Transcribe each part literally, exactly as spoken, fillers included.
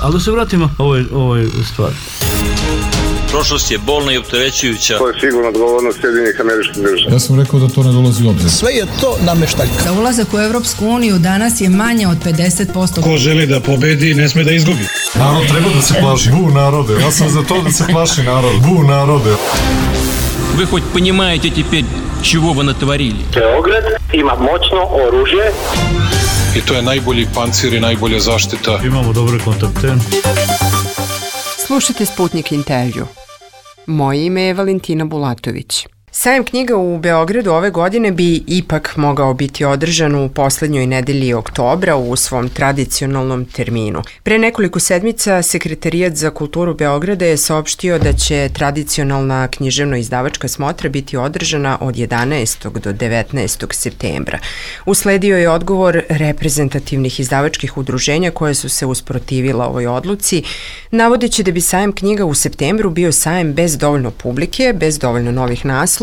Ali da se vratimo ovoj, ovoj stvari. Prošlost je bolna i opterećujuća. To je sigurno odgovornost Sjedinjenih Američkih Država. Ja sam rekao da to ne dolazi u obzir. Sve je to nameštaljka. Za ulazak u Evropsku uniju danas je manje od pedeset posto. Ko želi da pobedi, ne sme da izgubi. Narod treba da se plaši. Bu narode. Ja sam za to da se plaši narod. Bu narode. Вы хоть понимаете теперь, чего вы натворили? Beograd ima moćno oružje. I to je najbolji pancir i najbolja zaštita. Imamo dobre kontakte. Slušajte Sputnik intervju. Moje ime je Valentina Bulatović. Sajam knjiga u Beogradu ove godine bi ipak mogao biti održan u poslednjoj nedelji oktobra u svom tradicionalnom terminu. Pre nekoliko sedmica Sekretarijat za kulturu Beograda je saopštio da će tradicionalna književno-izdavačka smotra biti održana od jedanaestog do devetnaestog septembra. Usledio je odgovor reprezentativnih izdavačkih udruženja koje su se usprotivila ovoj odluci, navodeći da bi sajam knjiga u septembru bio sajam bez dovoljno publike, bez dovoljno novih naslova,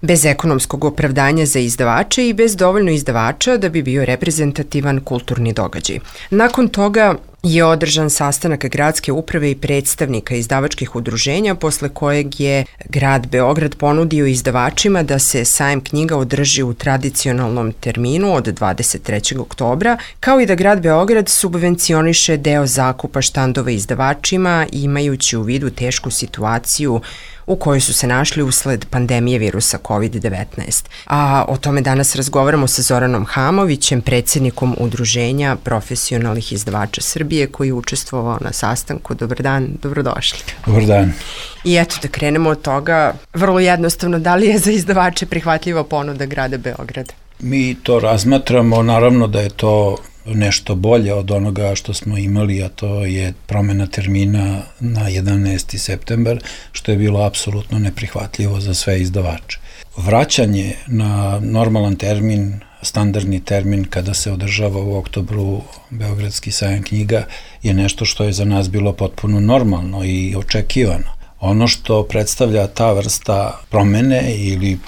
bez ekonomskog opravdanja za izdavače i bez dovoljno izdavača da bi bio reprezentativan kulturni događaj. Nakon toga je održan sastanak gradske uprave i predstavnika izdavačkih udruženja, posle kojeg je grad Beograd ponudio izdavačima da se sajam knjiga održi u tradicionalnom terminu od dvadeset trećeg oktobra, kao i da grad Beograd subvencioniše deo zakupa štandova izdavačima, imajući u vidu tešku situaciju u kojoj su se našli usled pandemije virusa kovid devetnaest. A o tome danas razgovaramo sa Zoranom Hamovićem, predsjednikom Udruženja profesionalnih izdavača Srbije, koji je učestvovao na sastanku. Dobar dan, dobrodošli. Dobar dan. I eto, da krenemo od toga, vrlo jednostavno, da li je za izdavače prihvatljiva ponuda grada Beograda? Mi to razmatramo, naravno da je to nešto bolje od onoga što smo imali, a to je promena termina na jedanaesti septembar, što je bilo apsolutno neprihvatljivo za sve izdavače. Vraćanje na normalan termin, standardni termin kada se održava u oktobru Beogradski sajam knjiga je nešto što je za nas bilo potpuno normalno i očekivano. Ono što predstavlja ta vrsta promene ili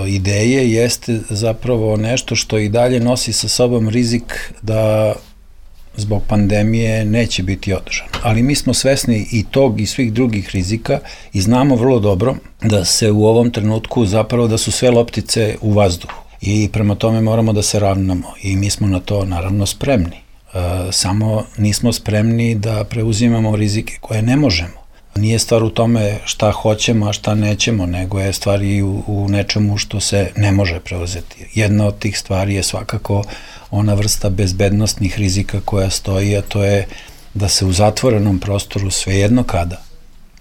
ideje jeste zapravo nešto što i dalje nosi sa sobom rizik da zbog pandemije neće biti održano. Ali mi smo svesni i tog i svih drugih rizika i znamo vrlo dobro da se u ovom trenutku zapravo da su sve loptice u vazduhu i prema tome moramo da se ravnamo i mi smo na to naravno spremni. E, samo nismo spremni da preuzimamo rizike koje ne možemo. Nije stvar u tome šta hoćemo, a šta nećemo, nego je stvar i u, u nečemu što se ne može preuzeti. Jedna od tih stvari je svakako ona vrsta bezbednostnih rizika koja stoji, a to je da se u zatvorenom prostoru svejedno kada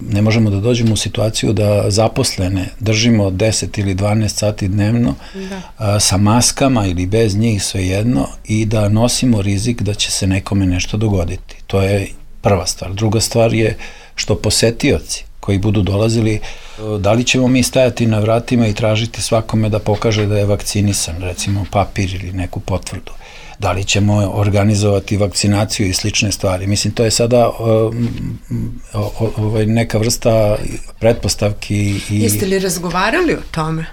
ne možemo da dođemo u situaciju da zaposlene držimo deset ili dvanaest sati dnevno a, sa maskama ili bez njih svejedno i da nosimo rizik da će se nekome nešto dogoditi. To je prva stvar. Druga stvar je što posetioci koji budu dolazili, da li ćemo mi stajati na vratima i tražiti svakome da pokaže da je vakcinisan, recimo papir ili neku potvrdu. Da li ćemo organizovati vakcinaciju i slične stvari. Mislim, to je sada uh, uh, neka vrsta pretpostavki. I... Jeste li razgovarali o tome?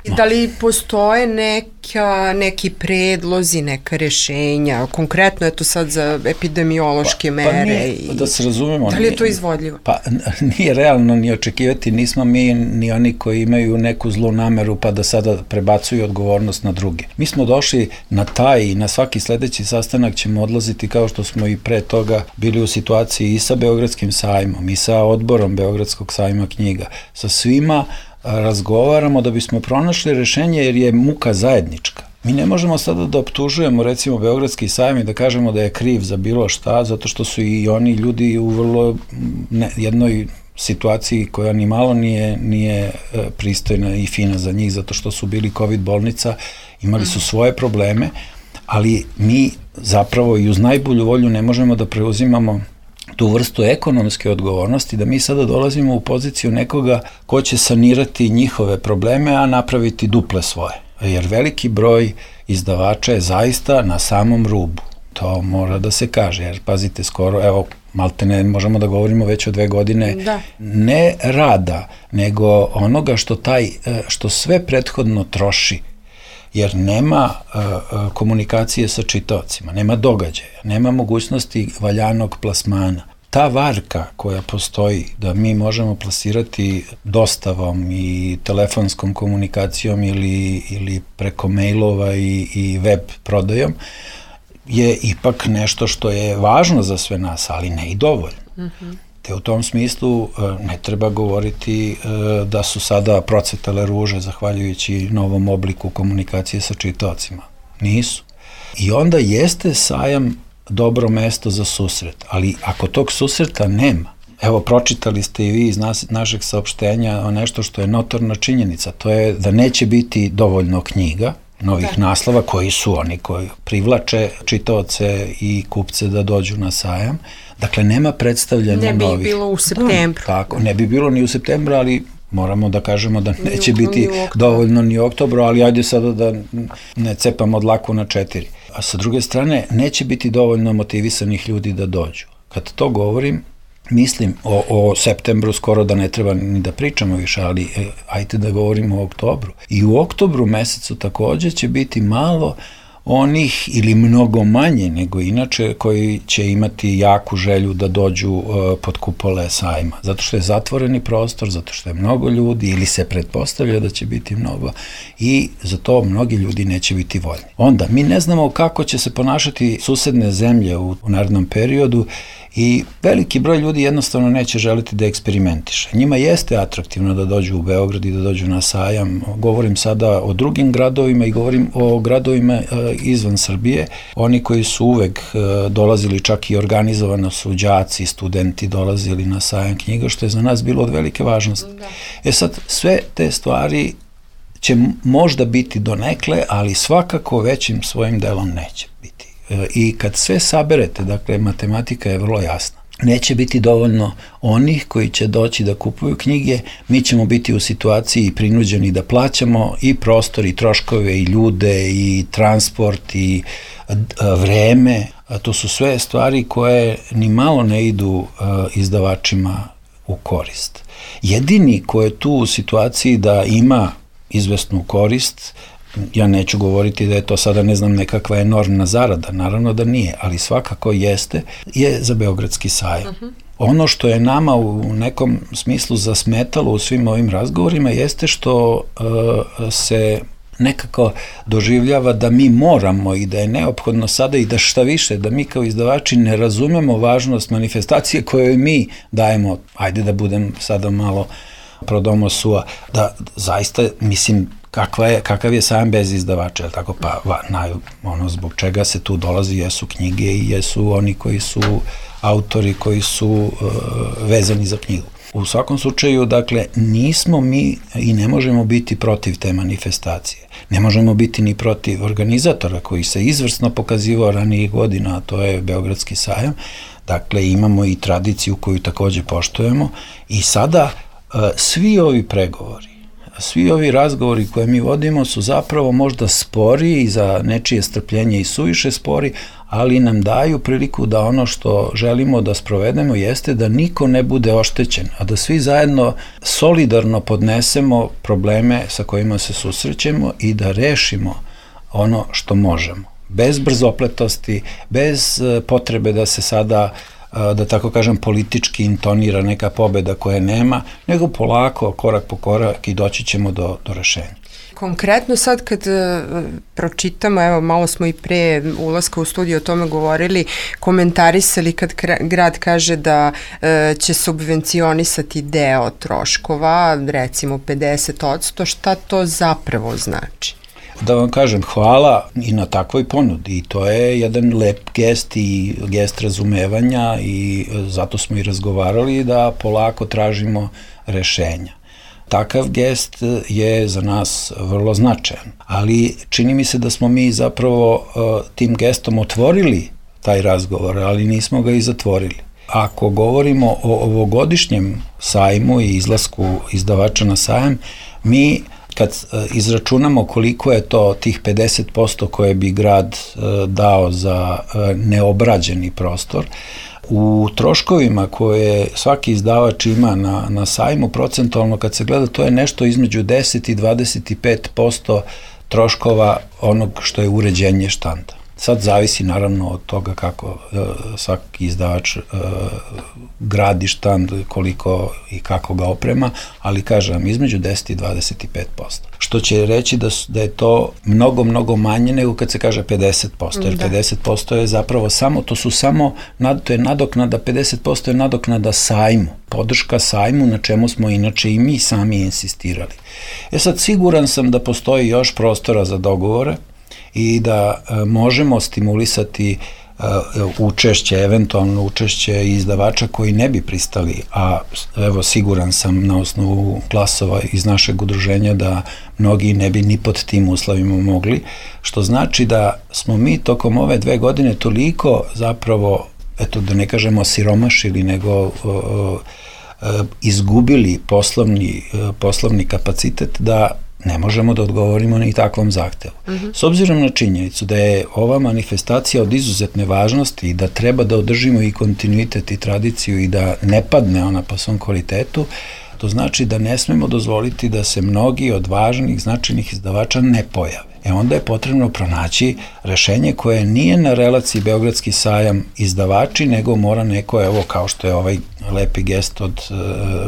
No. Da li postoje neka, neki predlozi, neka rešenja, konkretno je to sad za epidemiološke pa, mere? Pa nije, i... da se razumemo. Da li je to izvodljivo? Pa nije realno ni očekivati, nismo mi ni oni koji imaju neku zlu nameru pa da sada prebacuju odgovornost na druge. Mi smo došli na taj i na svaki sledeći sastanak ćemo odlaziti kao što smo i pre toga bili u situaciji i sa Beogradskim sajmom i sa odborom Beogradskog sajma knjiga, sa svima razgovaramo da bismo pronašli rešenje jer je muka zajednička. Mi ne možemo sada da optužujemo recimo Beogradski sajam i da kažemo da je kriv za bilo šta, zato što su i oni ljudi u vrlo ne, jednoj situaciji koja ni malo nije, nije pristojna i fina za njih, zato što su bili COVID bolnica, imali su svoje probleme, ali mi zapravo i uz najbolju volju ne možemo da preuzimamo tu vrstu ekonomske odgovornosti, da mi sada dolazimo u poziciju nekoga ko će sanirati njihove probleme, a napraviti duple svoje. Jer veliki broj izdavača je zaista na samom rubu. To mora da se kaže, jer pazite, skoro, evo, malte ne možemo da govorimo već o dve godine, da. Ne rada, nego onoga što taj, što sve prethodno troši jer nema uh, uh, komunikacije sa čitaocima, nema događaja, nema mogućnosti valjanog plasmana. Ta varka koja postoji da mi možemo plasirati dostavom i telefonskom komunikacijom ili, ili preko mailova i, i web prodajom je ipak nešto što je važno za sve nas, ali ne i dovoljno. Mm-hmm. Te u tom smislu ne treba govoriti da su sada procvetale ruže zahvaljujući novom obliku komunikacije sa čitaocima. Nisu. I onda jeste sajam dobro mesto za susret, ali ako tog susreta nema, evo pročitali ste i vi iz nas, našeg saopštenja o nešto što je notorna činjenica, to je da neće biti dovoljno knjiga, novih da. naslova koji su oni koji privlače čitaoce i kupce da dođu na sajam. Dakle, nema predstavljanja novih. Ne bi bilo u septembru. Tako, ne bi bilo ni u septembru, ali moramo da kažemo da neće biti dovoljno ni u oktobru, ali ajde sada da ne cepamo dlaku na četiri. A sa druge strane, neće biti dovoljno motivisanih ljudi da dođu. Kad to govorim, mislim o, o septembru skoro da ne treba ni da pričamo više, ali e, ajde da govorimo o oktobru. I u oktobru mesecu takođe će biti malo onih ili mnogo manje nego inače koji će imati jaku želju da dođu uh, pod kupole sajma. Zato što je zatvoreni prostor, zato što je mnogo ljudi ili se pretpostavlja da će biti mnogo i za to mnogi ljudi neće biti voljni. Onda, mi ne znamo kako će se ponašati susedne zemlje u, u narednom periodu i veliki broj ljudi jednostavno neće želiti da eksperimentiše. Njima jeste atraktivno da dođu u Beograd i da dođu na sajam. Govorim sada o drugim gradovima i govorim o gradovima e, izvan Srbije. Oni koji su uvek e, dolazili, čak i organizovano su đaci, studenti dolazili na sajam knjiga, što je za nas bilo od velike važnosti. Da. E sad, sve te stvari će možda biti donekle, ali svakako većim svojim delom neće biti. I kad sve saberete, dakle, matematika je vrlo jasna. Neće biti dovoljno onih koji će doći da kupuju knjige, mi ćemo biti u situaciji prinuđeni da plaćamo i prostor, i troškove, i ljude, i transport, i vreme. To su sve stvari koje ni malo ne idu izdavačima u korist. Jedini ko je tu u situaciji da ima izvesnu korist, ja neću govoriti da je to sada, ne znam, nekakva enormna zarada, naravno da nije, ali svakako jeste, je za Beogradski sajam. Uh-huh. Ono što je nama u nekom smislu zasmetalo u svim ovim razgovorima jeste što uh, se nekako doživljava da mi moramo i da je neophodno sada i da šta više, da mi kao izdavači ne razumemo važnost manifestacije koje mi dajemo, ajde da budem sada malo pro domo sua, da zaista, mislim, Kakva je, kakav je sajam bez izdavača, je tako? Pa, va, naj, ono, zbog čega se tu dolazi, jesu knjige i jesu oni koji su autori, koji su uh, vezani za knjigu. U svakom slučaju, dakle, nismo mi i ne možemo biti protiv te manifestacije. Ne možemo biti ni protiv organizatora koji se izvrsno pokazivao ranijih godina, a to je Beogradski sajam. Dakle, imamo i tradiciju koju takođe poštujemo i sada uh, svi ovi pregovori, svi ovi razgovori koje mi vodimo su zapravo možda spori i za nečije strpljenje i suviše spori, ali nam daju priliku da ono što želimo da sprovedemo jeste da niko ne bude oštećen, a da svi zajedno solidarno podnesemo probleme sa kojima se susrećemo i da rešimo ono što možemo. Bez brzopletosti, bez potrebe da se sada, da tako kažem, politički intonira neka pobeda koje nema, nego polako, korak po korak i doći ćemo do, do rešenja. Konkretno sad kad uh, pročitamo, evo malo smo i pre ulaska u studiju o tome govorili, komentarisali kad grad kaže da uh, će subvencionisati deo troškova, recimo pedeset odsto, šta to zapravo znači? Da vam kažem, hvala i na takvoj ponudi i to je jedan lep gest i gest razumevanja i zato smo i razgovarali da polako tražimo rešenja. Takav gest je za nas vrlo značajan, ali čini mi se da smo mi zapravo uh, tim gestom otvorili taj razgovor, ali nismo ga i zatvorili. Ako govorimo o ovogodišnjem sajmu i izlasku izdavača na sajam, mi kad izračunamo koliko je to tih pedeset posto koje bi grad dao za neobrađeni prostor, u troškovima koje svaki izdavač ima na, na sajmu procentualno kad se gleda, to je nešto između deset i dvadeset pet posto troškova onog što je uređenje štanda. Sad zavisi naravno od toga kako uh, svaki izdavač uh, gradi štand, koliko i kako ga oprema, ali kažem između deset i dvadeset pet posto. Što će reći da, su, da je to mnogo, mnogo manje nego kad se kaže pedeset posto, jer da. pedeset posto je zapravo samo, to su samo, to je nadoknada, pedeset posto je nadoknada sajmu, podrška sajmu na čemu smo inače i mi sami insistirali. E sad siguran sam da postoji još prostora za dogovore i da e, možemo stimulisati e, učešće, eventualno učešće izdavača koji ne bi pristali, a evo siguran sam na osnovu glasova iz našeg udruženja da mnogi ne bi ni pod tim uslovima mogli, što znači da smo mi tokom ove dve godine toliko zapravo, eto da ne kažemo siromašili, nego e, e, izgubili poslovni, e, poslovni kapacitet da ne možemo da odgovorimo ni takvom zahtevu. Mm-hmm. S obzirom na činjenicu da je ova manifestacija od izuzetne važnosti i da treba da održimo i kontinuitet i tradiciju i da ne padne ona po svom kvalitetu, to znači da ne smemo dozvoliti da se mnogi od važnih, značajnih izdavača ne pojave. E onda je potrebno pronaći rešenje koje nije na relaciji Beogradski sajam izdavači, nego mora neko, evo kao što je ovaj lepi gest od e,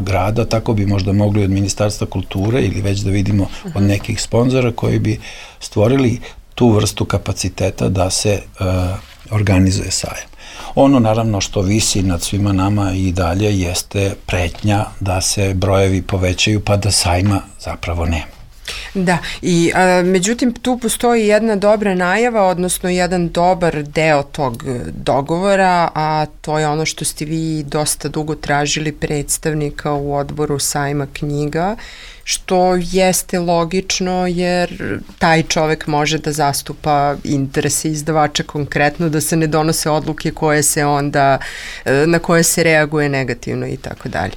grada, tako bi možda mogli od Ministarstva kulture ili već da vidimo od nekih sponzora koji bi stvorili tu vrstu kapaciteta da se e, organizuje sajam. Ono naravno što visi nad svima nama i dalje jeste pretnja da se brojevi povećaju pa da sajma zapravo nema. Da, i a, međutim tu postoji jedna dobra najava, odnosno jedan dobar deo tog dogovora, a to je ono što ste vi dosta dugo tražili predstavnika u odboru sajma knjiga, što jeste logično jer taj čovek može da zastupa interese izdavača konkretno, da se ne donose odluke koje se onda, na koje se reaguje negativno i tako dalje.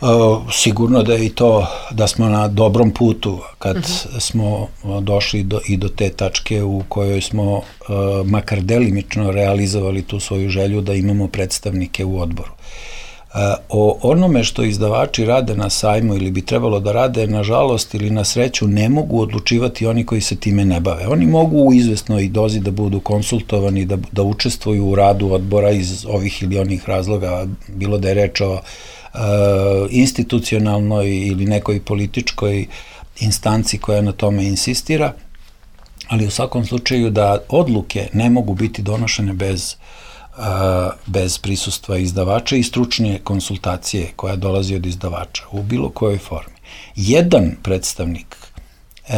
Uh, sigurno da je i to, da smo na dobrom putu kad uh-huh. smo došli do, i do te tačke u kojoj smo uh, makar delimično realizovali tu svoju želju da imamo predstavnike u odboru. Uh, o onome što izdavači rade na sajmu ili bi trebalo da rade, nažalost ili na sreću, ne mogu odlučivati oni koji se time ne bave. Oni mogu u izvesnoj dozi da budu konsultovani, da, da učestvuju u radu odbora iz ovih ili onih razloga, bilo da je reč o Uh, institucionalnoj ili nekoj političkoj instanci koja na tome insistira, ali u svakom slučaju da odluke ne mogu biti donošene bez, uh, bez prisustva izdavača i stručne konsultacije koja dolazi od izdavača u bilo kojoj formi. Jedan predstavnik uh,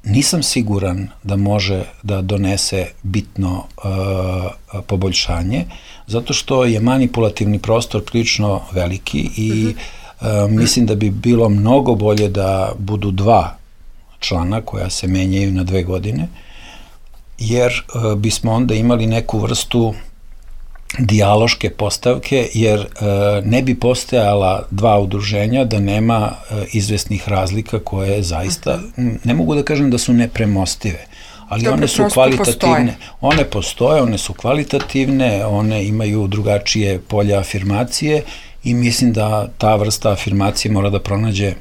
nisam siguran da može da donese bitno uh, poboljšanje, zato što je manipulativni prostor prilično veliki i uh, mislim da bi bilo mnogo bolje da budu dva člana koja se menjaju na dve godine, jer uh, bismo onda imali neku vrstu dijaloške postavke, jer uh, ne bi postojala dva udruženja da nema uh, izvesnih razlika koje zaista, ne mogu da kažem da su nepremostive, ali Dobre, one su kvalitativne, postoje. one postoje, one su kvalitativne, one imaju drugačije polje afirmacije i mislim da ta vrsta afirmacije mora da pronađe e,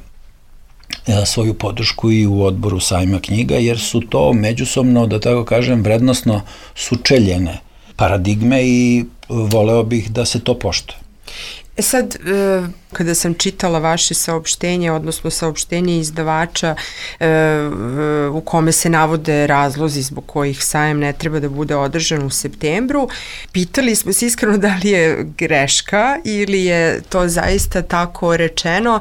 svoju podršku i u odboru sajma knjiga, jer su to međusobno, da tako kažem, vrednosno sučeljene paradigme i voleo bih da se to poštuje. E sad, kada sam čitala vaše saopštenje, odnosno saopštenje izdavača u kome se navode razlozi zbog kojih sajam ne treba da bude održan u septembru, pitali smo se iskreno da li je greška ili je to zaista tako rečeno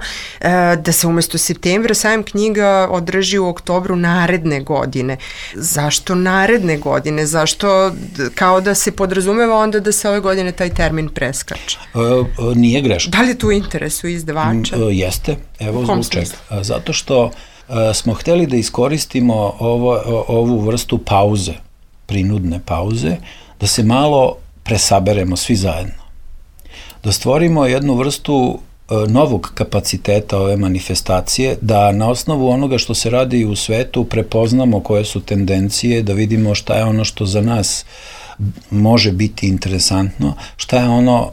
da se umesto septembra sajam knjiga održi u oktobru naredne godine. Zašto naredne godine? Zašto kao da se podrazumeva onda da se ove godine taj termin preskače? Uh, nije greška. Da li je tu interesu izdavača? Jeste, evo zbog čega. Zato što uh, smo hteli da iskoristimo ovo, ovu vrstu pauze, prinudne pauze, da se malo presaberemo svi zajedno. Da stvorimo jednu vrstu uh, novog kapaciteta ove manifestacije, da na osnovu onoga što se radi u svetu prepoznamo koje su tendencije, da vidimo šta je ono što za nas može biti interesantno, šta je ono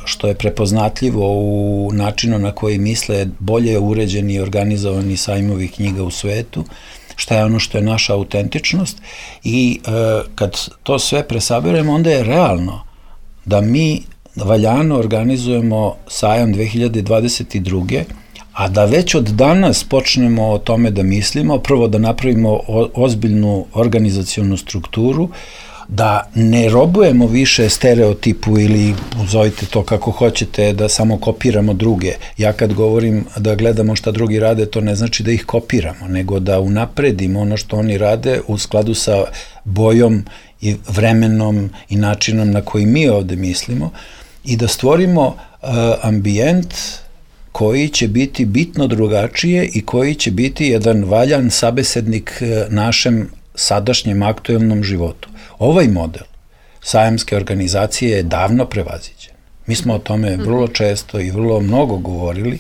što je prepoznatljivo u načinu na koji misle bolje uređeni i organizovani sajmovi knjiga u svetu šta je ono što je naša autentičnost i e, kad to sve presaberemo, onda je realno da mi valjano organizujemo sajam dve hiljade dvadeset druge. A da već od danas počnemo o tome da mislimo, prvo da napravimo ozbiljnu organizacionu strukturu, da ne robujemo više stereotipu ili zovite to kako hoćete, da samo kopiramo druge. Ja kad govorim da gledamo šta drugi rade, to ne znači da ih kopiramo, nego da unapredimo ono što oni rade u skladu sa bojom i vremenom i načinom na koji mi ovde mislimo i da stvorimo uh, ambijent koji će biti bitno drugačije i koji će biti jedan valjan sabesednik našem sadašnjem aktuelnom životu. Ovaj model sajamske organizacije je davno prevaziđen. Mi smo o tome vrlo često i vrlo mnogo govorili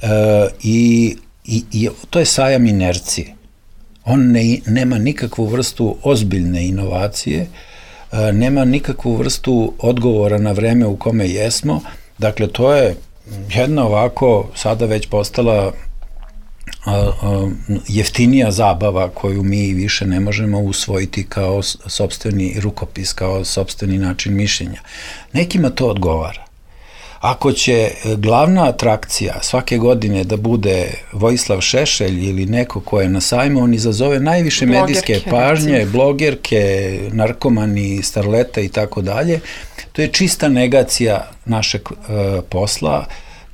e, i, i, i to je sajam inercije. On ne, nema nikakvu vrstu ozbiljne inovacije, e, nema nikakvu vrstu odgovora na vreme u kome jesmo. Dakle, to je jedna ovako sada već postala a, a, jeftinija zabava koju mi više ne možemo usvojiti kao sopstveni rukopis, kao sopstveni način mišljenja. Nekima to odgovara. Ako će glavna atrakcija svake godine da bude Vojislav Šešelj ili neko ko je na sajmu, on izazove najviše blogerke, medijske pažnje, recimo. Blogerke, narkomani, starleta i tako dalje. To je čista negacija našeg e, posla,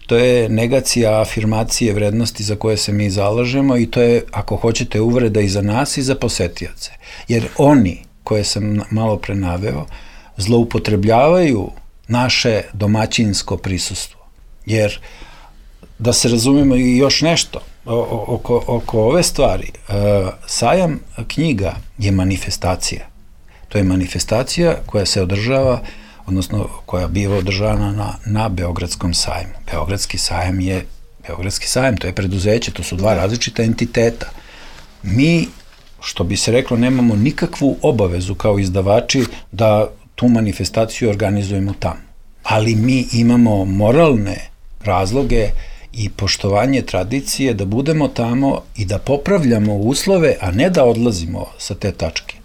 to je negacija afirmacije vrednosti za koje se mi zalažemo i to je, ako hoćete, uvreda i za nas i za posetioce. Jer oni, koje sam malo pre naveo, zloupotrebljavaju naše domaćinsko prisustvo. Jer, da se razumemo i još nešto, oko, oko ove stvari, sajam knjiga je manifestacija. To je manifestacija koja se održava, odnosno koja biva održavana na, na Beogradskom sajmu. Beogradski sajam je Beogradski sajam, to je preduzeće, to su dva različita entiteta. Mi, što bi se reklo, nemamo nikakvu obavezu kao izdavači da tu manifestaciju organizujemo tamo. Ali mi imamo moralne razloge i poštovanje tradicije da budemo tamo i da popravljamo uslove, a ne da odlazimo sa te tačke.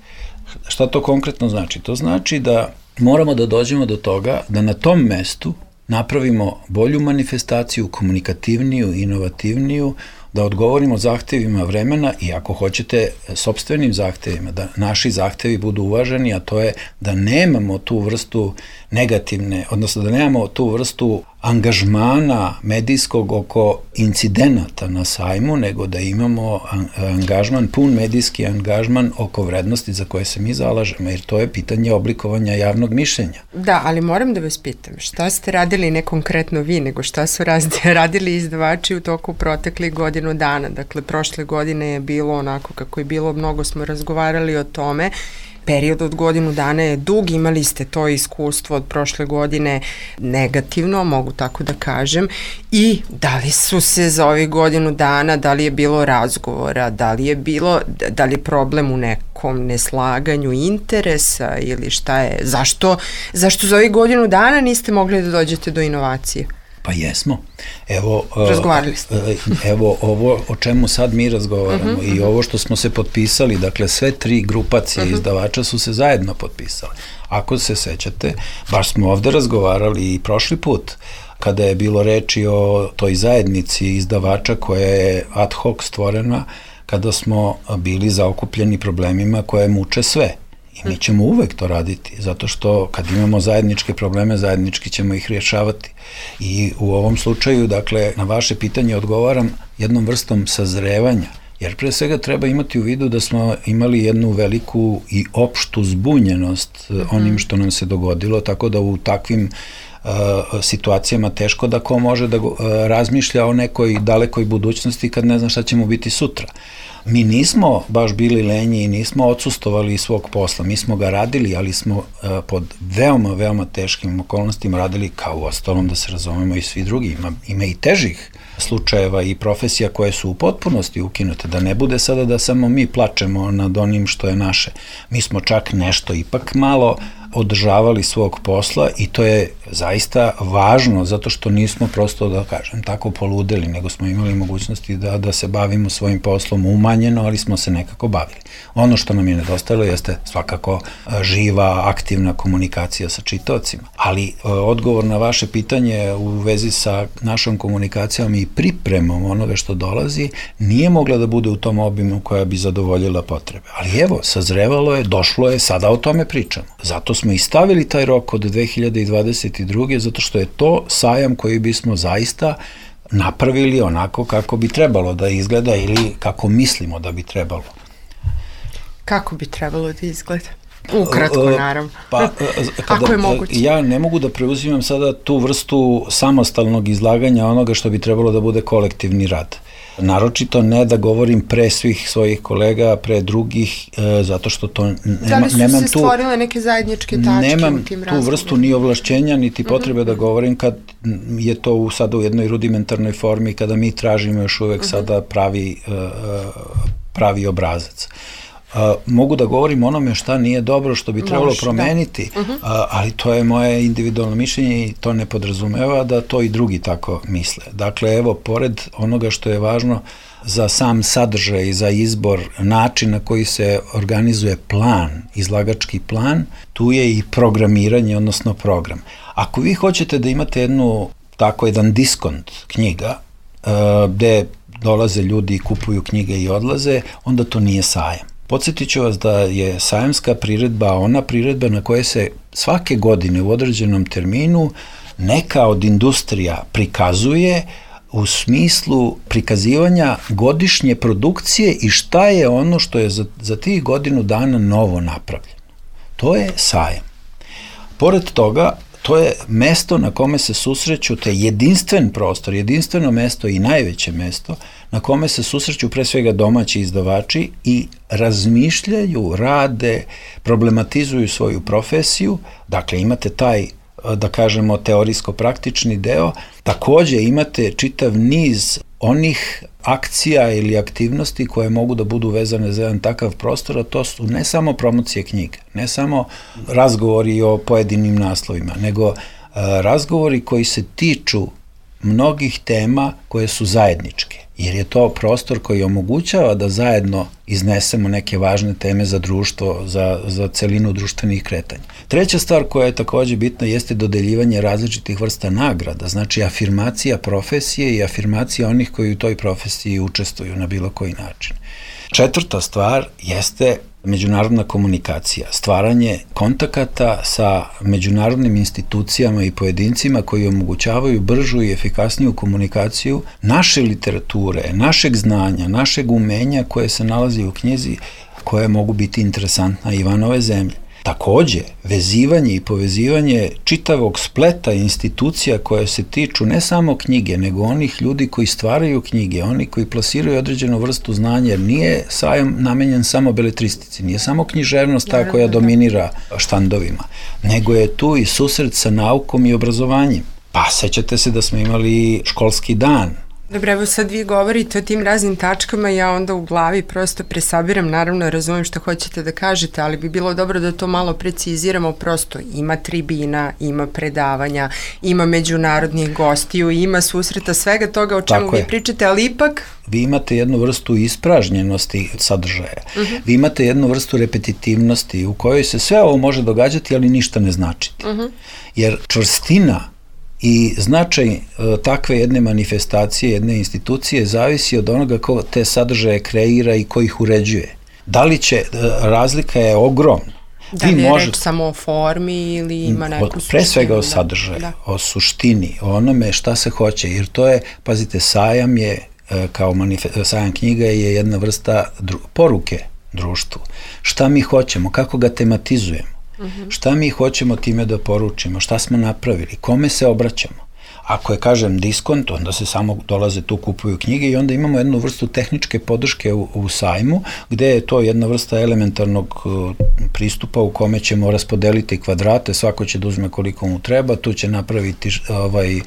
Šta to konkretno znači? To znači da moramo da dođemo do toga da na tom mestu napravimo bolju manifestaciju, komunikativniju, inovativniju, da odgovorimo zahtevima vremena i ako hoćete sopstvenim zahtevima, da naši zahtevi budu uvaženi, a to je da nemamo tu vrstu negativne, odnosno da nemamo tu vrstu angažmana medijskog oko incidenata na sajmu, nego da imamo angažman, pun medijski angažman oko vrednosti za koje se mi zalažemo, jer to je pitanje oblikovanja javnog mišljenja. Da, ali moram da vas pitam, šta ste radili, ne konkretno vi, nego šta su radili izdavači u toku proteklih godinu dana? Dakle, prošle godine je bilo onako kako je bilo, mnogo smo razgovarali o tome. Period od godinu dana je dug, imali ste to iskustvo od prošle godine negativno, mogu tako da kažem, i da li su se za ovih godinu dana, da li je bilo razgovora, da li je bilo, da li je problem u nekom neslaganju interesa ili šta je, zašto, zašto za ovih godinu dana niste mogli da dođete do inovacije? Pa jesmo. Evo, razgovarali ste. Evo ovo o čemu sad mi razgovaramo uh-huh, i ovo što smo se potpisali, dakle sve tri grupacije uh-huh. izdavača su se zajedno potpisali. Ako se sećate, baš smo ovde razgovarali i prošli put, kada je bilo reči o toj zajednici izdavača koja je ad hoc stvorena, kada smo bili zaokupljeni problemima koje muče sve. I mi ćemo uvek to raditi, zato što kad imamo zajedničke probleme, zajednički ćemo ih rješavati. I u ovom slučaju, dakle, na vaše pitanje odgovaram jednom vrstom sazrevanja, jer pre svega treba imati u vidu da smo imali jednu veliku i opštu zbunjenost onim što nam se dogodilo, tako da u takvim uh, situacijama teško da ko može da uh, razmišlja o nekoj dalekoj budućnosti kad ne zna šta će mu biti sutra. Mi nismo baš bili lenji i nismo odsustovali iz svog posla. Mi smo ga radili, ali smo uh, pod veoma, veoma teškim okolnostima radili, kao u ostalom da se razumemo i svi drugi. Ima, ima i težih slučajeva i profesija koje su u potpunosti ukinute. Da ne bude sada da samo mi plačemo nad onim što je naše. Mi smo čak nešto ipak malo održavali svog posla i to je zaista važno, zato što nismo prosto, da kažem, tako poludeli, nego smo imali mogućnosti da, da se bavimo svojim poslom umanjeno, ali smo se nekako bavili. Ono što nam je nedostajalo jeste svakako živa, aktivna komunikacija sa čitaocima. Ali odgovor na vaše pitanje u vezi sa našom komunikacijom i pripremom onoga što dolazi nije mogla da bude u tom obimu koja bi zadovoljila potrebe. Ali evo, sazrevalo je, došlo je, sada o tome pričamo. Zato smo i stavili taj rok od dve hiljade dvadeset druge. zato što je to sajam koji bismo zaista napravili onako kako bi trebalo da izgleda ili kako mislimo da bi trebalo. Kako bi trebalo da izgleda? Ukratko, naravno. Pa, kada, ako je moguće. Ja ne mogu da preuzimam sada tu vrstu samostalnog izlaganja onoga što bi trebalo da bude kolektivni rad. Naročito ne da govorim pre svih svojih kolega, pre drugih, e, zato što to nema, da li su nemam se stvorile tu, neke zajedničke tačke nemam u tim tu vrstu ni ovlašćenja, niti potrebe uh-huh. da govorim kad je to u, sada u jednoj rudimentarnoj formi, kada mi tražimo još uvek uh-huh. sada pravi, uh, pravi obrazac. Uh, mogu da govorim onome šta nije dobro, što bi trebalo Moš, promeniti, da. uh-huh. uh, ali to je moje individualno mišljenje i to ne podrazumeva da to i drugi tako misle. Dakle, evo, pored onoga što je važno za sam sadržaj i za izbor, način na koji se organizuje plan, izlagački plan, tu je i programiranje, odnosno program. Ako vi hoćete da imate jednu, tako jedan diskont knjiga, uh, gde dolaze ljudi i kupuju knjige i odlaze, onda to nije sajam. Podsjetit ću vas da je sajamska priredba ona priredba na koje se svake godine u određenom terminu neka od industrija prikazuje u smislu prikazivanja godišnje produkcije i šta je ono što je za, za tih godinu dana novo napravljeno. To je sajam. Pored toga, to je mesto na kome se susreću, to je jedinstven prostor, jedinstveno mesto i najveće mesto na kome se susreću pre svega domaći izdavači i razmišljaju, rade, problematizuju svoju profesiju. Dakle, imate taj, da kažemo, teorijsko-praktični deo. Takođe imate čitav niz onih akcija ili aktivnosti koje mogu da budu vezane za jedan takav prostor, a to su ne samo promocije knjiga, ne samo razgovori o pojedinim naslovima, nego razgovori koji se tiču mnogih tema koje su zajedničke, jer je to prostor koji omogućava da zajedno iznesemo neke važne teme za društvo, za, za celinu društvenih kretanja. Treća stvar koja je takođe bitna jeste dodeljivanje različitih vrsta nagrada, znači afirmacija profesije i afirmacija onih koji u toj profesiji učestvuju na bilo koji način. Četvrta stvar jeste međunarodna komunikacija, stvaranje kontakata sa međunarodnim institucijama i pojedincima koji omogućavaju bržu i efikasniju komunikaciju naše literature, našeg znanja, našeg umenja koje se nalazi u knjizi, koje mogu biti interesantna i van ove zemlje. Takođe, vezivanje i povezivanje čitavog spleta institucija koje se tiču ne samo knjige, nego onih ljudi koji stvaraju knjige, oni koji plasiraju određenu vrstu znanja, jer nije sajam namenjen samo beletristici, nije samo književnost ta koja dominira štandovima, nego je tu i susret sa naukom i obrazovanjem. Pa, sećate se da smo imali školski dan. Dobro, evo sad vi govorite o tim raznim tačkama, ja onda u glavi prosto presabiram, naravno razumijem što hoćete da kažete, ali bi bilo dobro da to malo preciziramo, prosto ima tribina, ima predavanja, ima međunarodnih gostiju, ima susreta, svega toga o čemu Tako vi je. pričate, ali ipak... Vi imate jednu vrstu ispražnjenosti sadržaja, uh-huh. vi imate jednu vrstu repetitivnosti u kojoj se sve ovo može događati, ali ništa ne značiti. Uh-huh. Jer čvrstina i značaj e, takve jedne manifestacije, jedne institucije zavisi od onoga ko te sadržaje kreira i ko ih uređuje. Da li će, e, razlika je ogromna. Da li je možete, reč samo o formi ili ima neku suštinu? Pre svega o sadržaju, da. o suštini, o onome šta se hoće, jer to je, pazite, sajam je, e, kao manife, sajam knjiga je jedna vrsta dru, poruke društvu. Šta mi hoćemo, kako ga tematizujemo? Uh-huh. Šta mi hoćemo time da poručimo, šta smo napravili, kome se obraćamo. Ako je, kažem, diskont, onda se samo dolaze tu, kupuju knjige i onda imamo jednu vrstu tehničke podrške u, u sajmu, gde je to jedna vrsta elementarnog uh, pristupa u kome ćemo raspodeliti kvadrate, svako će da uzme koliko mu treba, tu će napraviti ovaj, uh,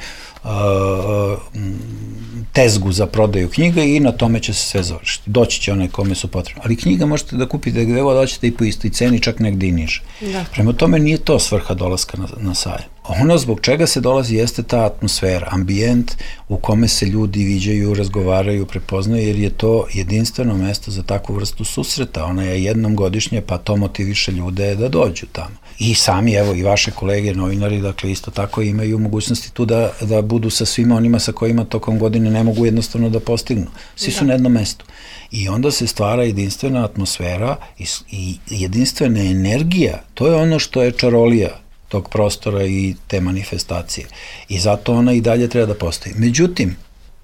tezgu za prodaju knjiga i na tome će se sve završiti. Doći će one kome su potrebne. Ali knjiga možete da kupite gde god hoćete i po istoj ceni, čak negde i niže. Da. Prema tome nije to svrha dolaska na, na sajam. Ono zbog čega se dolazi jeste ta atmosfera, ambijent u kome se ljudi viđaju, razgovaraju, prepoznaju, jer je to jedinstveno mesto za takvu vrstu susreta. Ona je jednom godišnje, pa to motiviše ljude da dođu tamo. I sami, evo, i vaše kolege, novinari, dakle, isto tako imaju mogućnosti tu da, da budu sa svima onima sa kojima tokom godine ne mogu jednostavno da postignu. Svi su na jednom mestu. I onda se stvara jedinstvena atmosfera i, i jedinstvena energija. To je ono što je čarolija tog prostora i te manifestacije. I zato ona i dalje treba da postoji. Međutim,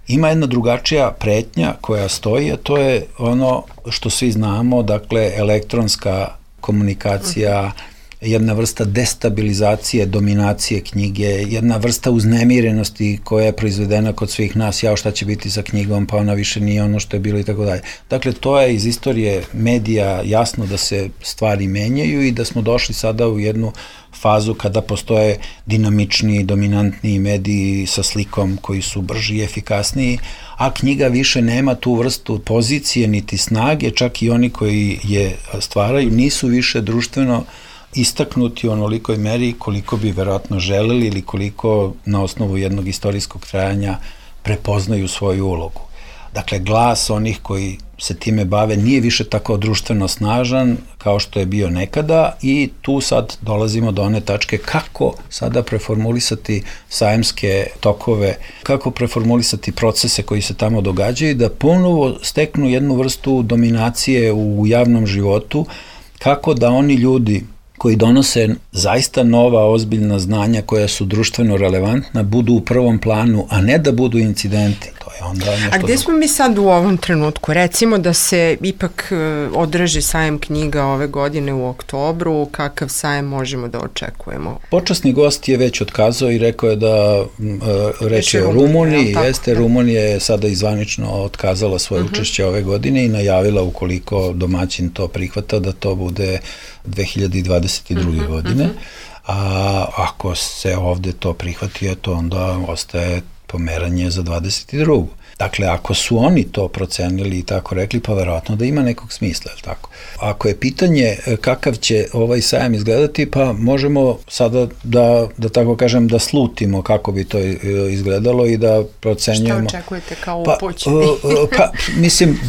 ima jedna drugačija pretnja koja stoji, a to je ono što svi znamo, dakle, elektronska komunikacija, jedna vrsta destabilizacije, dominacije knjige, jedna vrsta uznemirenosti koja je proizvedena kod svih nas, jao šta će biti sa knjigom, pa ona više nije ono što je bilo i tako dalje. Dakle, to je iz istorije medija jasno da se stvari menjaju i da smo došli sada u jednu fazu kada postoje dinamični, dominantni mediji sa slikom koji su brži i efikasniji, a knjiga više nema tu vrstu pozicije niti snage, čak i oni koji je stvaraju nisu više društveno istaknuti u onolikoj meri koliko bi verovatno želeli ili koliko na osnovu jednog istorijskog trajanja prepoznaju svoju ulogu. Dakle, glas onih koji se time bave nije više tako društveno snažan kao što je bio nekada i tu sad dolazimo do one tačke kako sada preformulisati sajamske tokove, kako preformulisati procese koji se tamo događaju da ponovo steknu jednu vrstu dominacije u javnom životu, kako da oni ljudi koji donose zaista nova, ozbiljna znanja koja su društveno relevantna, budu u prvom planu, a ne da budu incidenti. To je onda nešto... A gde smo mi sad u ovom trenutku? Recimo da se ipak održi sajem knjiga ove godine u oktobru, kakav sajem možemo da očekujemo? Počasni gost je već otkazao i rekao je da reč je o Rumuniji, jeste, Rumunija je sada izvanično otkazala svoje uh-huh. učešće ove godine i najavila ukoliko domaćin to prihvata da to bude dve hiljade dvadeset druge. Uh-huh, godine, uh-huh. a ako se ovde to prihvati, eto onda ostaje pomeranje za dvadeset drugu. Dakle, ako su oni to procenili i tako rekli, pa verovatno da ima nekog smisla, je li tako? Ako je pitanje kakav će ovaj sajam izgledati, pa možemo sada da, da tako kažem, da slutimo kako bi to izgledalo i da procenjujemo. Šta očekujete kao upućeni? Pa, pa, mislim,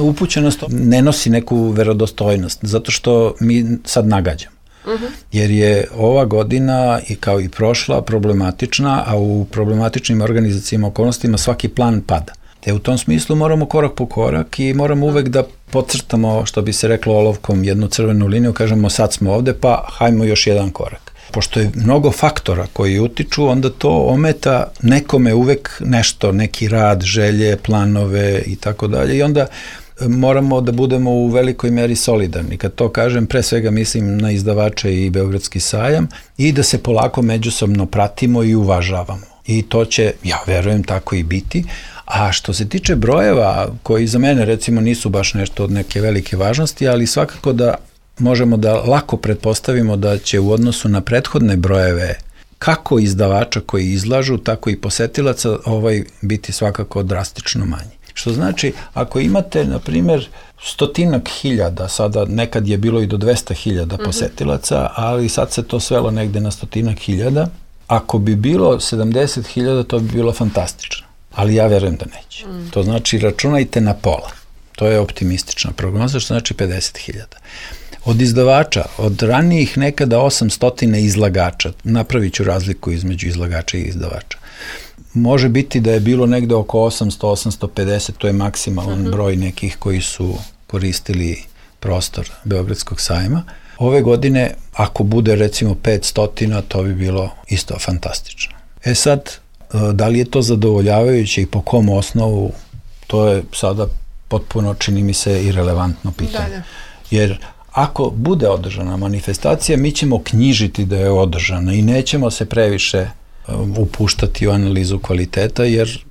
upućenost ne nosi neku verodostojnost, zato što mi sad nagađamo. Uh-huh. Jer je ova godina i kao i prošla problematična, a u problematičnim organizacijama okolnostima svaki plan pada. Te u tom smislu moramo korak po korak i moramo uvek da podcrtamo, što bi se reklo olovkom, jednu crvenu liniju, kažemo sad smo ovde, pa hajmo još jedan korak. Pošto je mnogo faktora koji utiču, onda to ometa nekome uvek nešto, neki rad, želje, planove i tako dalje i onda moramo da budemo u velikoj meri solidarni. Kad to kažem, pre svega mislim na izdavače i Beogradski sajam i da se polako međusobno pratimo i uvažavamo. I to će, ja verujem, tako i biti. A što se tiče brojeva, koji za mene recimo nisu baš nešto od neke velike važnosti, ali svakako da možemo da lako pretpostavimo da će u odnosu na prethodne brojeve kako izdavača koji izlažu, tako i posetilaca ovaj biti svakako drastično manji. Što znači, ako imate, na primjer, stotinak hiljada, sada nekad je bilo i do dvesta hiljada posetilaca, ali sad se to svelo negde na stotinak hiljada, ako bi bilo sedamdeset hiljada, to bi bilo fantastično. Ali ja verujem da neće. Mm. To znači, računajte na pola. To je optimistična prognoza, što znači pedeset hiljada. Od izdavača, od ranijih nekada osamsto izlagača, napravit ću razliku između izlagača i izdavača. Može biti da je bilo negde oko osamsto do osamsto pedeset, to je maksimalan uh-huh. broj nekih koji su koristili prostor Beogradskog sajma. Ove godine, ako bude recimo petsto, to bi bilo isto fantastično. E sad, da li je to zadovoljavajuće i po kom osnovu, to je sada potpuno, čini mi se, irelevantno pitanje. Da, da. Jer ako bude održana manifestacija, mi ćemo knjižiti da je održana i nećemo se previše upuštati u analizu kvaliteta, jer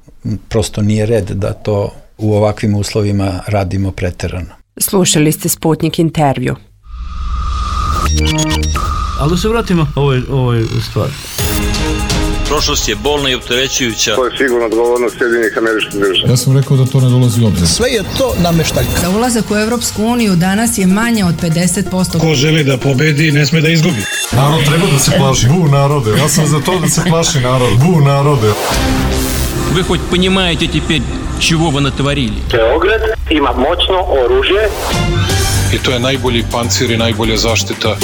prosto nije red da to u ovakvim uslovima radimo preterano. Slušali ste Sputnik intervju. Ali da se vratimo ovoj, ovoj stvari. Prošlost je bolna i opterećujuća. To je sigurno odgovornost Sjedinjenih Američkih Država. Ja sam rekao da to ne dolazi u obzir. Sve je to nameštaljka. Za ulazak u Evropsku uniju danas je manje od pedeset posto. Ko želi da pobedi, ne sme da izgubi. Narod treba da se plaši. Bu narode, ja sam za to da se plaši narod. Bu narode. Вы хоть понимаете теперь, чего вы натворили? Beograd ima moćno oružje. I to je najbolji pancir i najbolja zaštita